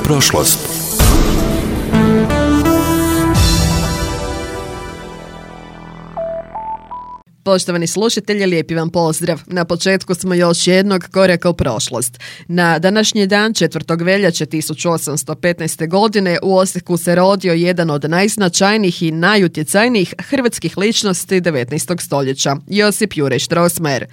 prošlost. Poštovani slušatelji, lijepi vam pozdrav. Na početku smo još jednog koraka u prošlost. Na današnji dan, 4. veljače 1815. godine, u Osijeku se rodio jedan od najznačajnijih i najutjecajnijih hrvatskih ličnosti 19. stoljeća, Josip Juraj Strossmayer.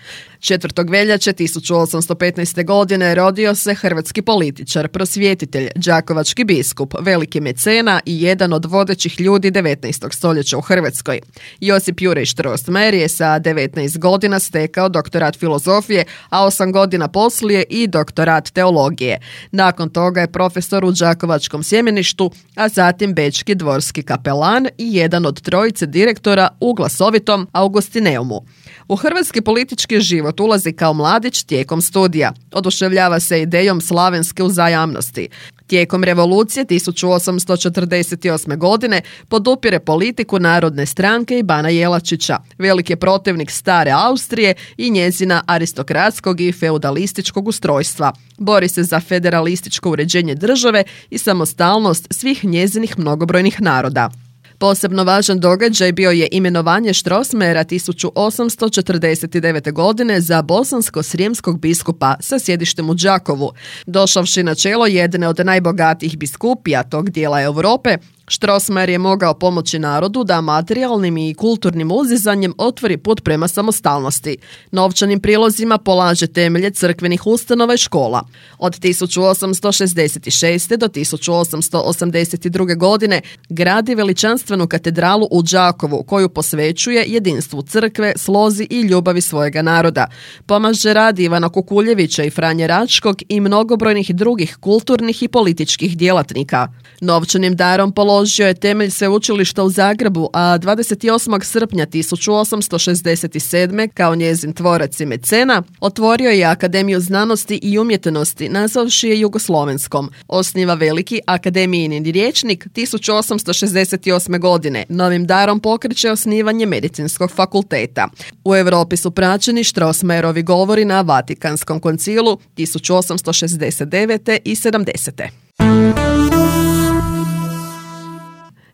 4. veljače 1815. godine rodio se hrvatski političar, prosvjetitelj, đakovački biskup, veliki mecena i jedan od vodećih ljudi 19. stoljeća u Hrvatskoj. Josip Juraj Strossmayer je sa 19 godina stekao doktorat filozofije, a 8 godina poslije i doktorat teologije. Nakon toga je profesor u đakovačkom sjemeništu, a zatim bečki dvorski kapelan i jedan od trojice direktora u glasovitom Augustineumu. U hrvatski politički život ulazi kao mladić tijekom studija. Oduševljava se idejom slavenske uzajamnosti. Tijekom revolucije 1848. godine podupire politiku Narodne stranke i Bana Jelačića. Velik je protivnik stare Austrije i njezina aristokratskog i feudalističkog ustrojstva. Bori se za federalističko uređenje države i samostalnost svih njezinih mnogobrojnih naroda. Posebno važan događaj bio je imenovanje Strossmayera 1849. godine za bosansko-srijemskog biskupa sa sjedištem u Đakovu. Došavši na čelo jedne od najbogatijih biskupija tog dijela Europe, Strossmayer je mogao pomoći narodu da materijalnim i kulturnim uzizanjem otvori put prema samostalnosti. Novčanim prilozima polaže temelje crkvenih ustanova i škola. Od 1866. do 1882. godine gradi veličanstvenu katedralu u Đakovu koju posvećuje jedinstvu crkve, slozi i ljubavi svojega naroda. Pomaže rad Ivana Kukuljevića i Franje Račkog i mnogobrojnih drugih kulturnih i političkih djelatnika. Novčanim darom položio je temelj sveučilišta u Zagrebu, a 28. srpnja 1867. kao njezin tvorac i mecena otvorio je Akademiju znanosti i umjetnosti, nazvavši je Jugoslovenskom. Osniva veliki akademijin rječnik 1868. godine. Novim darom pokreće osnivanje medicinskog fakulteta. U Europi su praćeni Strossmayerovi govori na Vatikanskom koncilu 1869. i 70.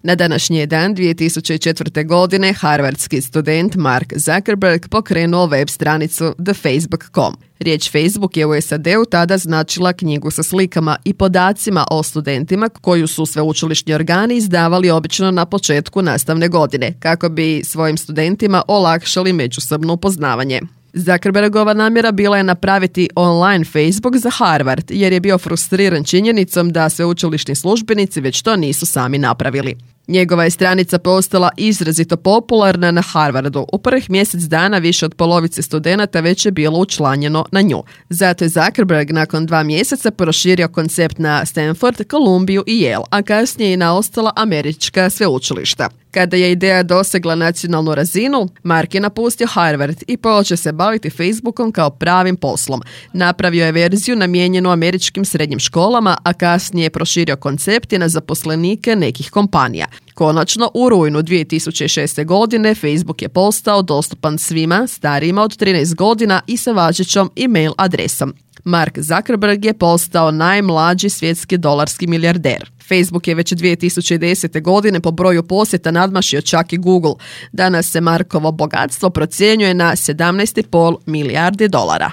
Na današnji dan 2004. godine harvardski student Mark Zuckerberg pokrenuo web stranicu thefacebook.com. Riječ Facebook je u SAD-u tada značila knjigu sa slikama i podacima o studentima koju su sveučilišni organi izdavali obično na početku nastavne godine, kako bi svojim studentima olakšali međusobno upoznavanje. Zuckerbergova namjera bila je napraviti online Facebook za Harvard, jer je bio frustriran činjenicom da sveučilišni službenici već to nisu sami napravili. Njegova je stranica postala izrazito popularna na Harvardu. U prvih mjesec dana više od polovice studenata već je bilo učlanjeno na nju. Zato je Zuckerberg nakon 2 mjeseca proširio koncept na Stanford, Kolumbiju i Yale, a kasnije i na ostala američka sveučilišta. Kada je ideja dosegla nacionalnu razinu, Mark je napustio Harvard i počeo se baviti Facebookom kao pravim poslom. Napravio je verziju namijenjenu američkim srednjim školama, a kasnije je proširio koncept na zaposlenike nekih kompanija. Konačno, u rujnu 2006. godine Facebook je postao dostupan svima starijima od 13 godina i sa važećom e-mail adresom. Mark Zuckerberg je postao najmlađi svjetski dolarski milijarder. Facebook je već 2010. godine po broju posjeta nadmašio čak i Google. Danas se Markovo bogatstvo procjenjuje na 17,5 milijardi dolara.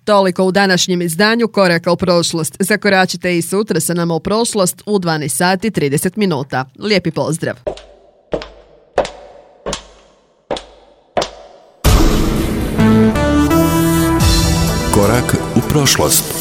Toliko u današnjem izdanju Koraka u prošlost. Zakoračite i sutra sa nama u prošlost u 12 sati 30 minuta. Lijepi pozdrav! Korak u prošlost.